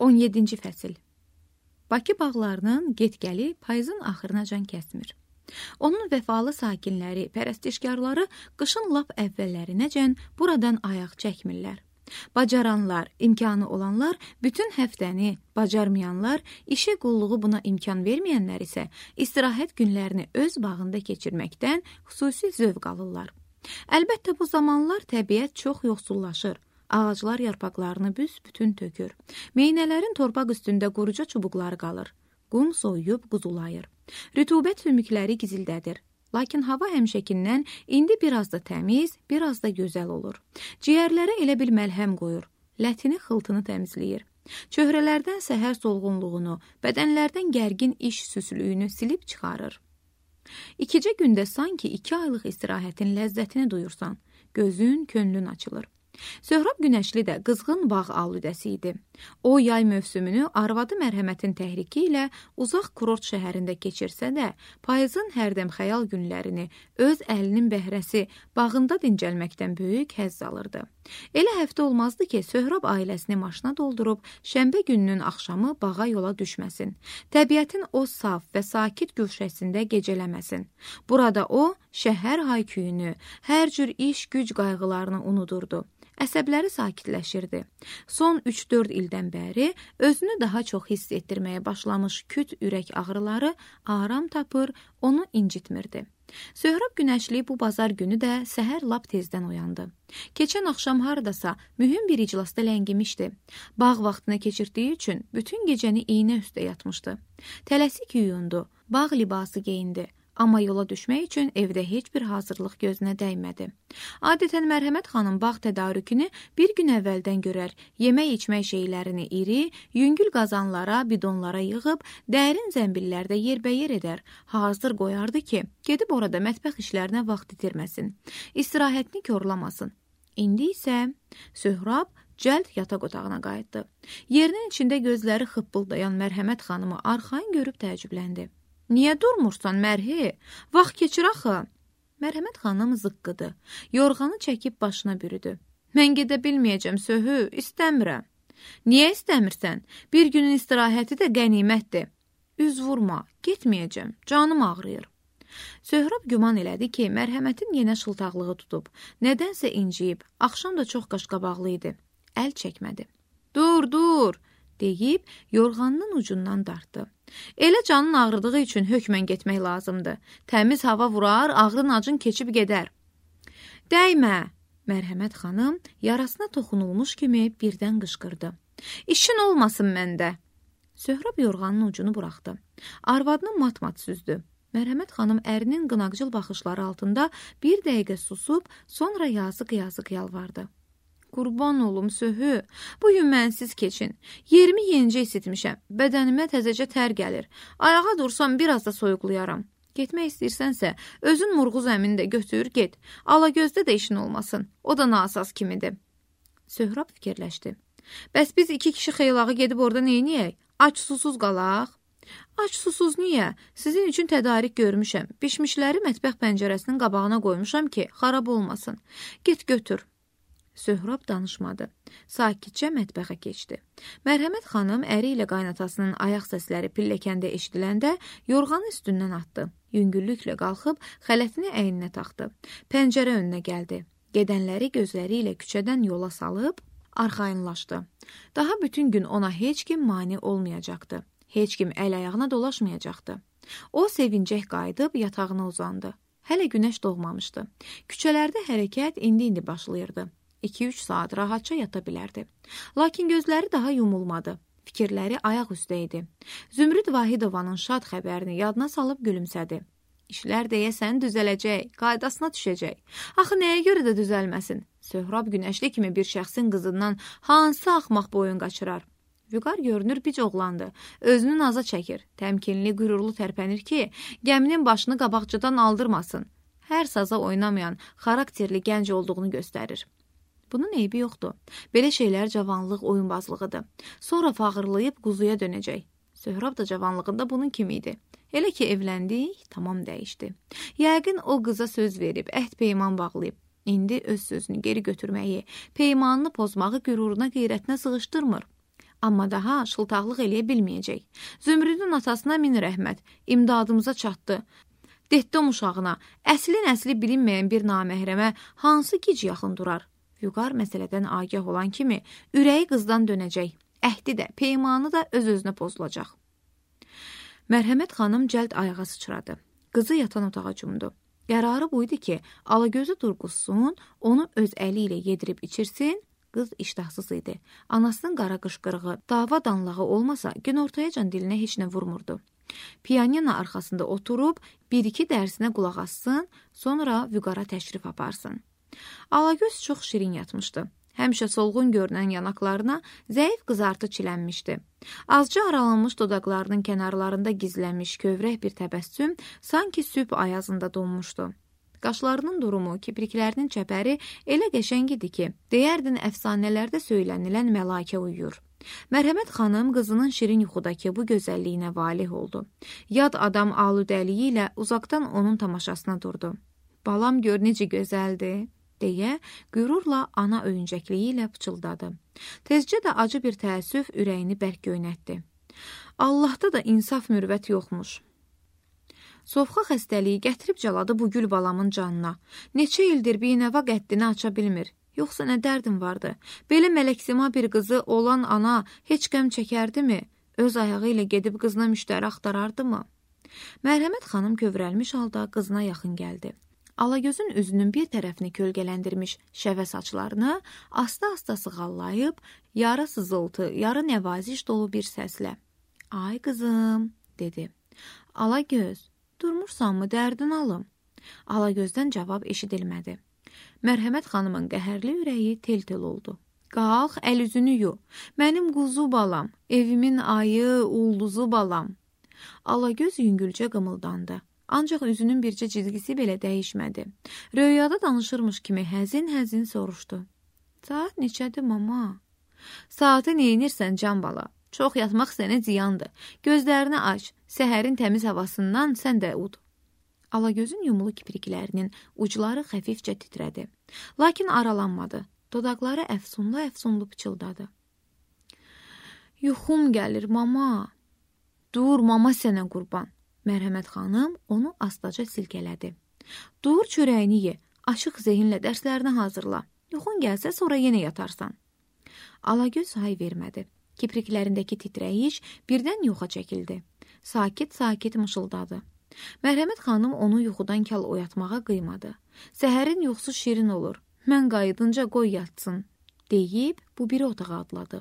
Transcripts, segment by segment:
17-ci fəsil. Bakı bağlarının get-gəli payızın axırınacan kəsmir. Onun vəfalı sakinləri, pərəstişkarları qışın lap əvvəllərinəcən buradan ayaq çəkmirlər. Bacaranlar, imkanı olanlar bütün həftəni, bacarmayanlar, işə qulluğu buna imkan verməyənlər isə istirahət günlərini öz bağında keçirməkdən xüsusi zövq alırlar. Əlbəttə bu zamanlar təbiət çox yoxsullaşır. Ağaclar yarpaqlarını büsbütün tökür. Meynələrin torpaq üstündə quruca çubuqları qalır. Qum soyuyub quzulayır. Rütubət sümükləri gizildədir. Lakin hava həmişəkindən indi biraz da təmiz, biraz da gözəl olur. Ciyərlərə elə bil məlhəm qoyur. Lətini, xıltını təmizləyir. Çöhrələrdən səhər solğunluğunu, bədənlərdən gərgin iş süslüyünü silib çıxarır. İkicə gündə sanki 2 aylıq istirahətin ləzzətini duyursan, gözün, könlün açılır. Söhrab Günəşli də qızğın bağ alüdəsi idi. O, yay mövsümünü arvadı mərhəmətin təhriki ilə uzaq kurort şəhərində keçirsə də, payızın hərdəm xəyal günlərini öz əlinin bəhrəsi bağında dincəlməkdən böyük həzz alırdı. Elə həftə olmazdı ki, Söhrab ailəsini maşına doldurub, şənbə gününün axşamı bağa yola düşməsin. Təbiətin o saf və sakit gülşəsində gecələməsin. Burada o, şəhər hayküyünü, hər cür iş, güc qayğılarını unudurdu. Əsəbləri sakitləşirdi. Son 3-4 ildən bəri özünü daha çox hiss etdirməyə başlamış küt ürək ağrıları aram tapır, onu incitmirdi. Söhrab Günəşli bu bazar günü də səhər lap tezdən oyandı. Keçən axşam haradasa mühüm bir iclasda ləngimişdi. Bağ vaxtını keçirdiyi üçün bütün gecəni iynə üstə yatmışdı. Tələsik yuyundu, bağ libası geyindi. Amma yola düşmək üçün evdə heç bir hazırlıq gözünə dəymədi. Adətən Mərhəmət xanım bağ tədarükünü bir gün əvvəldən görər, yemək-içmək şeylərini iri, yüngül qazanlara, bidonlara yığıb, dərin zəmbillərdə yerbəyer edər, hazır qoyardı ki, gedib orada mətbəx işlərinə vaxt itirməsin, istirahətini korlamasın. İndi isə Söhrab cəld yataq otağına qayıtdı. Yerinin içində gözləri xıppıldayan Mərhəmət xanımı arxayın görüb təəccübləndi. Niyə durmursan, Mərhi? Vaxt keçir axı. Mərhəmət xanım zıqqıdı. Yorğanı çəkib başına bürüdü. Mən gedə bilməyəcəm, Söhü, istəmirəm. Niyə istəmirsən? Bir günün istirahəti də qənimətdir. Üz vurma, getməyəcəm, canım ağrıyır. Söhrab güman elədi ki, Mərhəmətin yenə şıltaqlığı tutub, nədənsə inciyib, axşam da çox qaşqabaqlı idi. Əl çəkmədi. Dur, deyib, yorğanının ucundan dartdı. Elə canın ağrıdığı üçün hökmən getmək lazımdır. Təmiz hava vurar, ağrın acın keçib gedər. Dəymə! Mərhəmət xanım yarasına toxunulmuş kimi birdən qışqırdı. İşin olmasın məndə. Söhrab yorğanın ucunu buraxdı. Arvadını mat-mat süzdü. Mərhəmət xanım ərinin qınaqcıl baxışları altında bir dəqiqə susub, sonra yazıq-yazıq yalvardı. Qurban olum, Söhü, bugün mənsiz keçin. Yerimi yenicə isitmişəm, bədənimə təzəcə tər gəlir. Ayağa dursam biraz da soyuqlayaram. Getmək istəyirsənsə, özün Murğuz əmini də götür, get. Alagözdə də işin olmasın, o da nasaz kimidir. Söhrab fikirləşdi. Bəs biz 2 kişi xeylağı gedib orada neyniyək? Aç susuz qalaq. Aç susuz niyə? Sizin üçün tədarik görmüşəm. Bişmişləri mətbəx pəncərəsinin qabağına qoymuşam ki, xarab olmasın. Get götür. Söhrab danışmadı. Sakitcə mətbəxə keçdi. Mərhəmət xanım əri ilə qaynatasının ayaq səsləri pilləkəndə eşidiləndə yorğanı üstündən atdı. Yüngüllüklə qalxıb xələtini əyninə taxdı. Pəncərə önünə gəldi. Gedənləri gözləri ilə küçədən yola salıb arxayınlaşdı. Daha bütün gün ona heç kim mane olmayacaqdı. Heç kim əl-ayağına dolaşmayacaqdı. O sevincək qayıdıb yatağına uzandı. Hələ günəş doğmamışdı. Küçələrdə hərəkət indi başlayırdı. 2-3 saat rahatca yata bilərdi. Lakin gözləri daha yumulmadı. Fikirləri ayaq üstə idi. Zümrüd Vahidovanın şad xəbərini yadına salıb gülümsədi. İşlər deyəsən düzələcək, qaydasına düşəcək. Axı nəyə görə də düzəlməsin? Söhrab Günəşli kimi bir şəxsin qızından hansı axmaq boyun qaçırar? Vüqar görünür bic oğlandı. Özünü naza çəkir. Təmkinli, qürurlu tərpənir ki, gəminin başını qabaqcadan aldırmasın. Hər saza oynamayan, xarakterli gənc olduğunu göstərir. Bunun eybi yoxdur. Belə şeylər cavanlıq oyunbazlığıdır. Sonra fağırlayıb quzuya dönəcək. Söhrab da cavanlığında bunun kimi idi. Elə ki evləndik, tamam dəyişdi. Yəqin o qıza söz verib, əhd peyman bağlayıb. İndi öz sözünü geri götürməyi, peymanını pozmağı qüruruna, qeyrətinə sığışdırmır. Amma daha şıltaqlıq eləyə bilməyəcək. Zümrüdün atasına min rəhmət, imdadımıza çatdı. Detdom uşağına, əslin əsli bilinməyən bir naməhrəmə hansı gic yaxın durar? Vüqar məsələdən agah olan kimi ürəyi qızdan dönəcək. Əhdi də, peymanı da öz-özünə pozulacaq. Mərhəmət xanım cəld ayağa sıçradı. Qızı yatan otağa cumdu. Qərarı buydu ki, Alagözü durğuzsun, onu öz əli ilə yedirib içirsin. Qız iştahsız idi. Anasının qara qışqırığı, dava danlağı olmasa, günortayacan dilinə heç nə vurmurdu. Piyanina arxasında oturub, bir-iki dərsinə qulaq assın, sonra Vüqara təşrif aparsın. Alagöz çox şirin yatmışdı. Həmişə solğun görünən yanaqlarına zəif qızartı çilənmişdi. Azca aralanmış dodaqlarının kənarlarında gizlənmiş kövrək bir təbəssüm sanki sübh ayazında donmuşdu. Qaşlarının durumu, kipriklərinin çəpəri elə qəşəng idi ki, deyərdin əfsanələrdə söylənilən məlakə uyuyur. Mərhəmət xanım qızının şirin yuxudakı bu gözəlliyinə valih oldu. Yad adam aludəliyi ilə uzaqdan onun tamaşasına durdu. Balam gör necə gözəldir, deyə qürurla ana öyüncəkliyi ilə pıçıldadı. Tezcə də acı bir təəssüf ürəyini bərk göynətdi. Allahda da insaf mürvət yoxmuş. Sovxa xəstəliyi gətirib caladı bu gül balamın canına. Neçə ildir binəva qəddini aça bilmir. Yoxsa nə dərdim vardı? Belə mələksima bir qızı olan ana heç qəm çəkərdimi? Öz ayağı ilə gedib qızına müştəri axtarardımı? Mərhəmət xanım kövrəlmiş halda qızına yaxın gəldi. Alagözün üzünün bir tərəfini kölgələndirmiş şəvə saçlarını asta-asta sığallayıb, yarı sızıltı, yarı nəvaziş dolu bir səslə "Ay qızım," dedi. "Alagöz, durmursanmı, dərdin alım?" Alagözdən cavab eşidilmədi. Mərhəmət xanımın qəhərli ürəyi tel-tel oldu. "Qalx, əl-üzünü yu. Mənim quzu balam, evimin ayı, ulduzu balam." Alagöz yüngülcə qımıldandı. Ancaq üzünün bircə cizgisi belə dəyişmədi. Röyada danışırmış kimi həzin-həzin soruşdu. "Saat neçədir, mama?" "Saatı neynirsən, can bala? Çox yatmaq sənə ziyandır. Gözlərini aç, səhərin təmiz havasından sən də ud." Alagözün yumulu kipriklərinin ucları xəfifcə titrədi. Lakin aralanmadı. Dodaqları əfsunlu-əfsunlu pıçıldadı. "Yuxum gəlir, mama." "Dur, mama sənə qurban." Mərhəmət xanım onu astaca silkələdi. "Dur, çörəyini ye, açıq zehinlə dərslərini hazırla. Yuxun gəlsə sonra yenə yatarsan." Alagöz hay vermədi. Kipriklərindəki titrəyiş birdən yoxa çəkildi. Sakit-sakit mışıldadı. Mərhəmət xanım onu yuxudan kal oyatmağa qıymadı. "Səhərin yuxusu şirin olur. Mən qayıdınca qoy yatsın," deyib bu biri otağa adladı.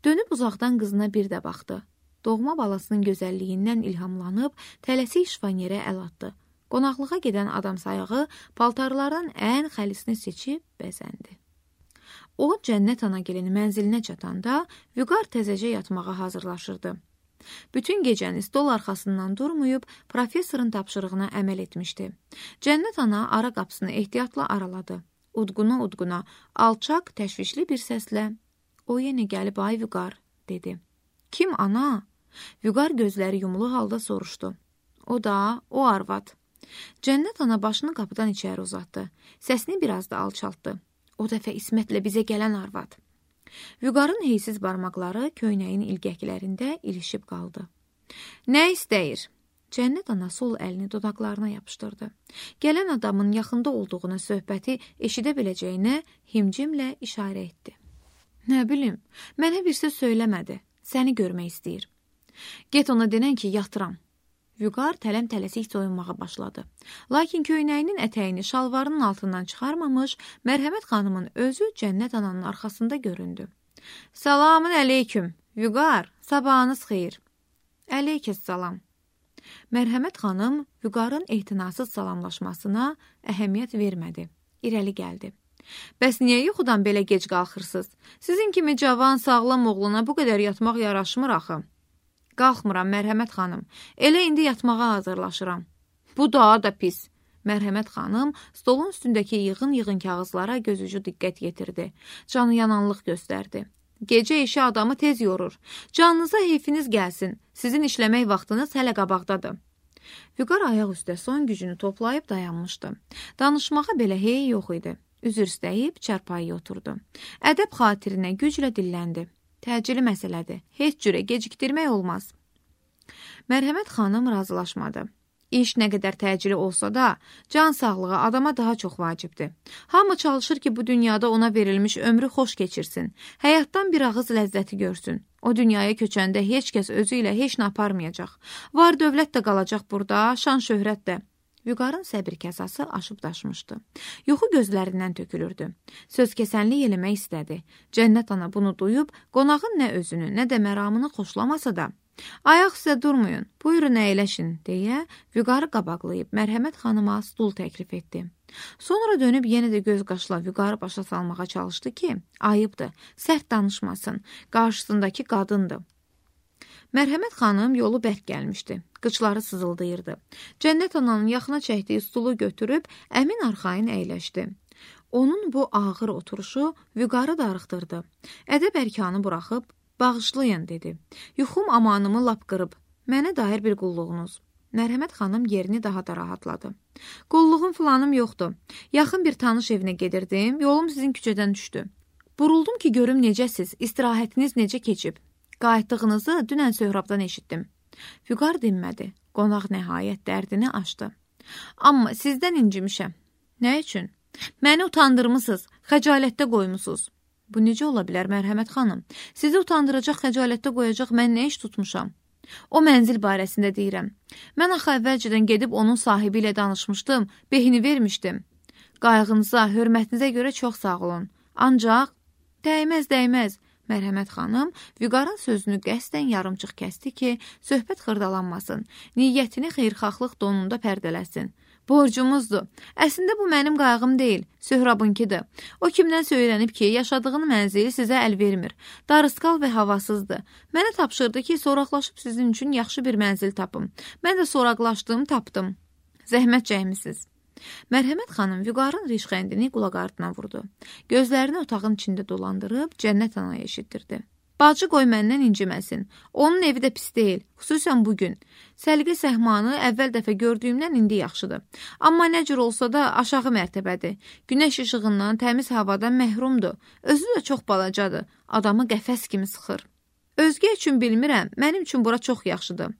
Dönüb uzaqdan qızına bir də baxdı. Doğma balasının gözəlliyindən ilhamlanıb tələsik şifanyerə əl atdı. Qonaqlığa gedən adam sayağı paltarlardan ən xəlisini seçib bəzəndi. O, Cənnət Anagilin mənzilinə çatanda Vüqar təzəcə yatmağa hazırlaşırdı. Bütün gecəni stol arxasından durmayıb professorun tapşırığına əməl etmişdi. Cənnət ana ara qapısını ehtiyatla araladı. Udquna-udquna, alçaq, təşvişli bir səslə "O yenə gəlib, ay Vüqar," dedi. "Kim, ana?" Vüqar gözləri yumulu halda soruşdu. "O da, o arvad." Cənnət ana başını qapıdan içəri uzatdı. Səsini biraz da alçaltdı. "O dəfə İsmətlə bizə gələn arvad." Vüqarın heysiz barmaqları köynəyin ilgəklərində ilişib qaldı. "Nə istəyir?" Cənnət ana sol əlini dodaqlarına yapışdırdı. Gələn adamın yaxında olduğuna söhbəti eşidə biləcəyinə himcimlə işarə etdi. "Nə bilim, mənə bir söz söyləmədi. Səni görmək istəyir." "Get ona denən ki, yatıram." Vüqar tələm-tələsik soyunmağa başladı. Lakin köynəyinin ətəyini şalvarının altından çıxarmamış, Mərhəmət xanımın özü Cənnət ananın arxasında göründü. "Salamın əleyküm, Vüqar, sabahınız xeyir." "Əleykəssalam." Mərhəmət xanım Vüqarın ehtinasız salamlaşmasına əhəmiyyət vermədi. İrəli gəldi. "Bəs niyə yuxudan belə gec qalxırsınız? Sizin kimi cavan, sağlam oğluna bu qədər yatmaq yaraşmır axı." "Qalxmıram, Mərhəmət xanım. Elə indi yatmağa hazırlaşıram." "Bu daha da pis." Mərhəmət xanım stolun üstündəki yığın-yığın kağızlara gözücü diqqət yetirdi. Canı yananlıq göstərdi. "Gecə işi adamı tez yorur. Canınıza heyfiniz gəlsin. Sizin işləmək vaxtınız hələ qabaqdadır." Vüqar ayaq üstə son gücünü toplayıb dayanmışdı. Danışmağa belə hey yox idi. Üzr istəyib çarpayıya oturdu. Ədəb xatirinə güclə dilləndi. Təcili məsələdir. Heç cürə gecikdirmək olmaz. Mərhəmət xanım razılaşmadı. İş nə qədər təcili olsa da, can sağlığı adama daha çox vacibdir. Hamı çalışır ki, bu dünyada ona verilmiş ömrü xoş keçirsin. Həyatdan bir ağız ləzzəti görsün. O dünyaya köçəndə heç kəs özü ilə heç nə aparmayacaq. Var dövlət də qalacaq burada, şan şöhrət də. Vüqarın səbir kəsası aşıb daşmışdı. Yuxu gözlərindən tökülürdü. Söz kəsənlik eləmək istədi. Cənnət ana bunu duyub, qonağın nə özünü, nə də məramını xoşlamasa da, ayaq sizə durmayın, buyurun əyləşin, deyə Vüqarı qabaqlayıb Mərhəmət xanıma stul təklif etdi. Sonra dönüb yenə də göz qaşla Vüqarı başa salmağa çalışdı ki, ayıbdır, sərt danışmasın, qarşısındakı qadındır. Mərhəmət xanım yolu bərk gəlmişdi. Qıçları sızıldayırdı. Cənnət ananın yaxına çəkdiyi stulu götürüb əmin arxayın əyləşdi. Onun bu ağır oturuşu Vüqarı darıxdırdı. Ədəb ərkanı buraxıb, bağışlayın, dedi. Yuxum amanımı lap qırıb. Mənə dair bir qulluğunuz. Mərhəmət xanım yerini daha da rahatladı. Qulluğum filanım yoxdur. Yaxın bir tanış evinə gedirdim. Yolum sizin küçədən düşdü. Buruldum ki, görüm necəsiz, istirahətiniz necə keçib. Qayıtdığınızı dünən Söhrabdan eşitdim. Vüqar dinmədi. Qonaq nəhayət dərdini açdı. Amma sizdən incimişəm. Nə üçün? Məni utandırmısınız, xəcalətdə qoymusunuz. Bu necə ola bilər, Mərhəmət xanım? Sizi utandıracaq, xəcalətdə qoyacaq mən nə iş tutmuşam? O mənzil barəsində deyirəm. Mən axı əvvəlcədən gedib onun sahibi ilə danışmışdım, behini vermişdim. Qayğınıza, hörmətinizə görə çox sağ olun. Ancaq, dəyməz. Mərhəmət xanım Vüqarın sözünü qəsdən yarımçıq kəsdi ki, söhbət xırdalanmasın, niyyətini xeyrxahlıq donunda pərdələsin. Borcumuzdur. Əslində bu mənim qayğım deyil, Söhrabınkidir. O kimdən söylənib ki, yaşadığın mənzili sizə əl vermir. Darısqal və havasızdır. Mənə tapşırdı ki, soraqlaşıb sizin üçün yaxşı bir mənzil tapım. Mən də soraqlaşdım, tapdım. Zəhmət çəkmisiniz. Mərhəmət xanım Vüqarın rişxəndini qulaq ardına vurdu. Gözlərini otağın içində dolandırıb Cənnət anaya eşitdirdi. Bacı qoy məndən inciməsin. Onun evi də pis deyil, xüsusən bugün. Səliqə səhmanı əvvəl dəfə gördüyümdən indi yaxşıdır. Amma nə cür olsa da aşağı mərtəbədir. Günəş işığından, təmiz havadan məhrumdur. Özü də çox balacadır. Adamı qəfəs kimi sıxır. Özgə üçün bilmirəm, mənim üçün bura çox yaxşıdır.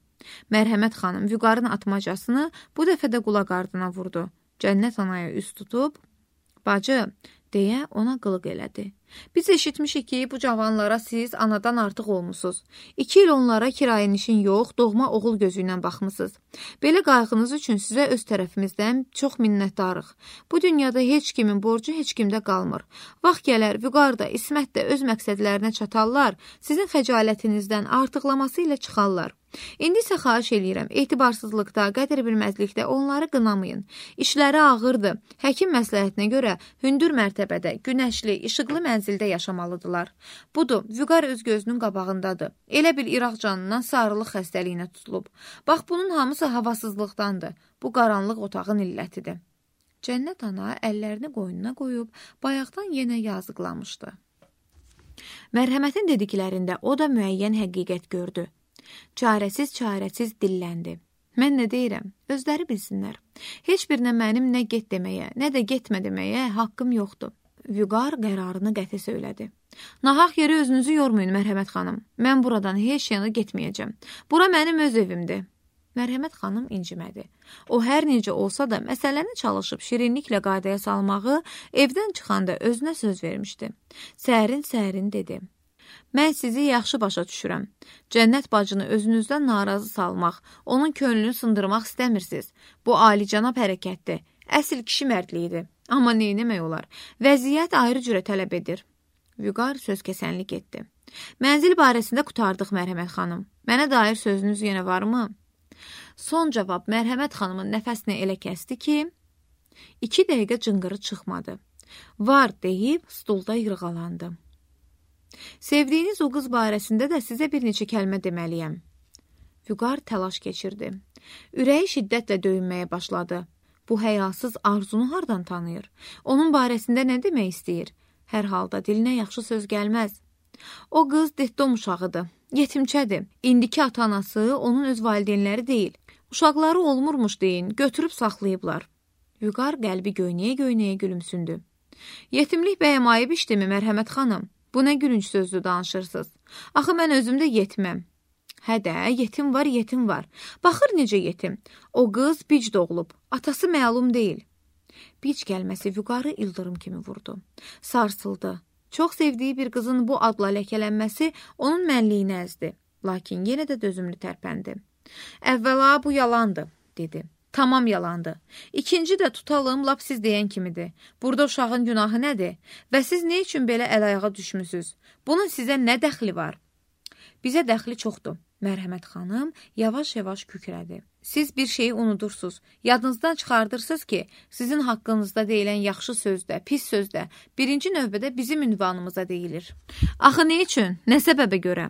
Mərhəmət xanım Vüqarın atmacasını bu dəfə də qulaq ardına vurdu. Cənnət anaya üst tutub, bacı, deyə ona qılıq elədi. Biz eşitmişik ki, bu cavanlara siz anadan artıq olmusunuz. 2 il onlara kirayənişin yox, doğma oğul gözü ilə baxmısınız. Belə qayğınız üçün sizə öz tərəfimizdən çox minnətdarıq. Bu dünyada heç kimin borcu heç kimdə qalmır. Vaxt gələr, Vüqar da, İsmət də öz məqsədlərinə çatarlar, sizin xəcalətinizdən artıqlaması ilə çıxarlar. İndi isə xahiş eləyirəm, etibarsızlıqda, qədər bilməzlikdə onları qınamayın. İşləri ağırdır. Həkim məsləhətinə görə hündür mərtəbədə, günəşli, işıqlı mənzildə yaşamalıdırlar. Budur, Vüqar öz gözünün qabağındadır. Elə bil İraq canından sarılıq xəstəliyinə tutulub. Bax, bunun hamısı havasızlıqdandır. Bu qaranlıq otağın illətidir. Cənnət ana əllərini qoynuna qoyub, bayaqdan yenə yazıqlamışdı. Mərhəmətin dediklərində o da müəyyən həqiqət gördü. Çarəsiz dilləndi. Mən nə deyirəm? Özləri bilsinlər. Heç birinə mənim nə get deməyə, nə də getmə deməyə haqqım yoxdur. Vüqar qərarını qəti söylədi. Nahaq yeri özünüzü yormayın, Mərhəmət xanım. Mən buradan heç yana getməyəcəm. Bura mənim öz evimdir. Mərhəmət xanım incimədi. O hər necə olsa da məsələni çalışıb şirinliklə qaydaya salmağı evdən çıxanda özünə söz vermişdi. Sərin dedi. Mən sizi yaxşı başa düşürəm. Cənnət bacını özünüzdən narazı salmaq, onun könlünü sındırmaq istəmirsiniz. Bu alicənab hərəkətdir. Əsl kişi mərdliyidir. Amma neynəmək olar? Vəziyyət ayrı cürə tələb edir. Vüqar söz kəsənlik etdi. Mənzil barəsində qutardıq, Mərhəmət xanım. Mənə dair sözünüz yenə varmı? Son cavab Mərhəmət xanımın nəfəsini elə kəsdi ki, 2 dəqiqə cınqırı çıxmadı. Var deyib stulda yırğalandı. Sevdiyiniz o qız barəsində də sizə bir neçə kəlmə deməliyəm. Vüqar təlaş keçirdi. Ürəyi şiddətlə döyünməyə başladı. Bu həyasız arzunu hardan tanıyır? Onun barəsində nə demək istəyir? Hər halda dilinə yaxşı söz gəlməz. O qız detdom uşağıdır, yetimçədir. İndiki ata-anası onun öz valideynləri deyil. Uşaqları olmurmuş deyin, götürüb saxlayıblar. Vüqar qəlbi göynəyə-göynəyə gülümsündü. Yetimlik bəyəm ayıb işdimi, Mərhəmət xanım? Bu nə gülünc sözdür danışırsınız? Axı mən özümdə yetiməm. Hə də, yetim var, yetim var. Baxır necə yetim. O qız bic doğulub. Atası məlum deyil. Bic gəlməsi Vüqarı ildırım kimi vurdu. Sarsıldı. Çox sevdiyi bir qızın bu adla ləkələnməsi onun mənliyini əzdi. Lakin yenə də dözümlü tərpəndi. Əvvəla bu yalandır, dedi. Tamam yalandır. İkinci də tutalım, lap siz deyən kimidir. Burada uşağın günahı nədir? Və siz nə üçün belə əl-ayağa düşmüsünüz? Bunun sizə nə dəxli var? Bizə dəxli çoxdur. Mərhəmət xanım yavaş-yavaş kükrədi. Siz bir şeyi unudursuz. Yadınızdan çıxardırsınız ki, sizin haqqınızda deyilən yaxşı sözdə, pis sözdə birinci növbədə bizim ünvanımıza deyilir. Axı nə üçün? Nə səbəbə görə?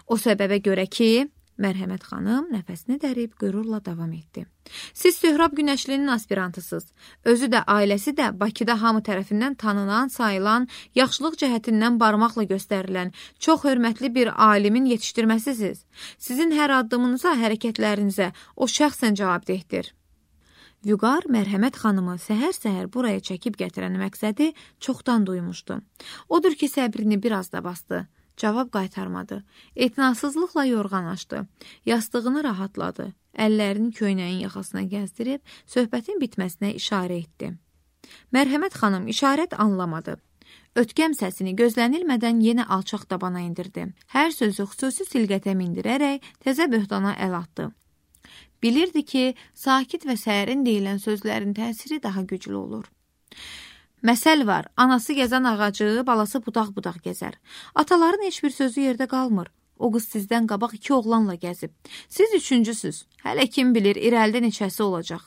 O səbəbə görə ki, Mərhəmət xanım nəfəsini dərib qürurla davam etdi. Siz Söhrab Günəşlinin aspirantısınız. Özü də, ailəsi də Bakıda hamı tərəfindən tanınan, sayılan, yaxşılıq cəhətindən barmaqla göstərilən, çox hörmətli bir alimin yetişdirməsisiz. Sizin hər addımınıza, hərəkətlərinizə o şəxsən cavabdehdir. Vüqar Mərhəmət xanımı səhər-səhər buraya çəkib gətirən məqsədi çoxdan duymuşdu. Odur ki, səbrini biraz da bastı. Cavab qaytarmadı. Etinasızlıqla yorğan açdı. Yastığını rahatladı. Əllərini köynəyin yaxasına gəzdirib söhbətin bitməsinə işarə etdi. Mərhəmət xanım işarət anlamadı. Ötkəm səsini gözlənilmədən yenə alçaq tabana indirdi. Hər sözü xüsusi silqətə mindirərək təzə böhtana əl atdı. Bilirdi ki, sakit və sərin deyilən sözlərin təsiri daha güclü olur. Məsəl var, anası gəzən ağacı, balası budaq-budaq gəzər. Ataların heç bir sözü yerdə qalmır. O qız sizdən qabaq 2 oğlanla gəzib. Siz üçüncüsüz. Hələ kim bilir, irəlidə neçəsi olacaq.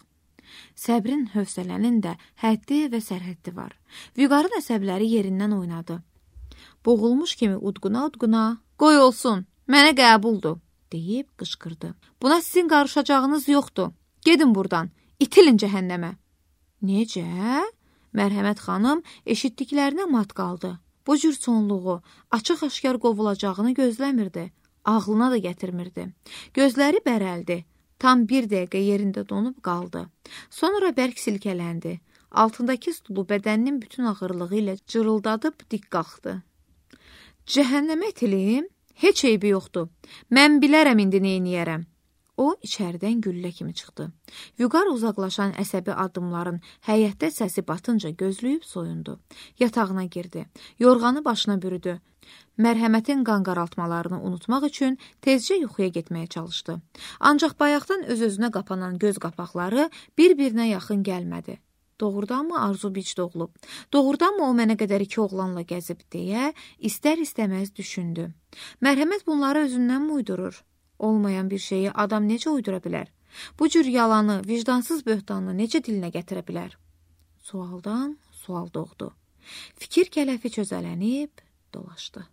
Səbrin, hövsələnin də həddi və sərhəddi var. Vüqarın əsəbləri yerindən oynadı. Boğulmuş kimi udquna-udquna, qoy olsun, mənə qəbuldur, deyib qışqırdı. Buna sizin qarışacağınız yoxdur. Gedin buradan, itilin cəhənnəmə. Necə? Mərhəmət xanım eşitdiklərinə mat qaldı. Bu cür sonluğu, açıq-aşkar qovulacağını gözləmirdi. Ağlına da gətirmirdi. Gözləri bərəldi. Tam bir dəqiqə yerində donub qaldı. Sonra bərk silkələndi. Altındakı stulu bədəninin bütün ağırlığı ilə cırıldadıb dik qalxdı. Cəhənnəmə itilim? Heç eybi yoxdur. Mən bilərəm indi neyniyərəm. O, içəridən güllə kimi çıxdı. Vüqar uzaqlaşan əsəbi addımların həyətdə səsi batınca gözləyib soyundu. Yatağına girdi. Yorğanı başına bürüdü. Mərhəmətin qan qaraltmalarını unutmaq üçün tezcə yuxuya getməyə çalışdı. Ancaq bayaqdan öz-özünə qapanan göz qapaqları bir-birinə yaxın gəlmədi. Doğrudanmı arzu bic doğulub? Doğrudanmı o mənə qədər 2 oğlanla gəzib deyə istər-istəməz düşündü. Mərhəmət bunları özündən mi uydurur? Olmayan bir şeyi adam necə uydura bilər? Bu cür yalanı, vicdansız böhtanı necə dilinə gətirə bilər? Sualdan sual doğdu. Fikir kələfi çözələnib dolaşdı.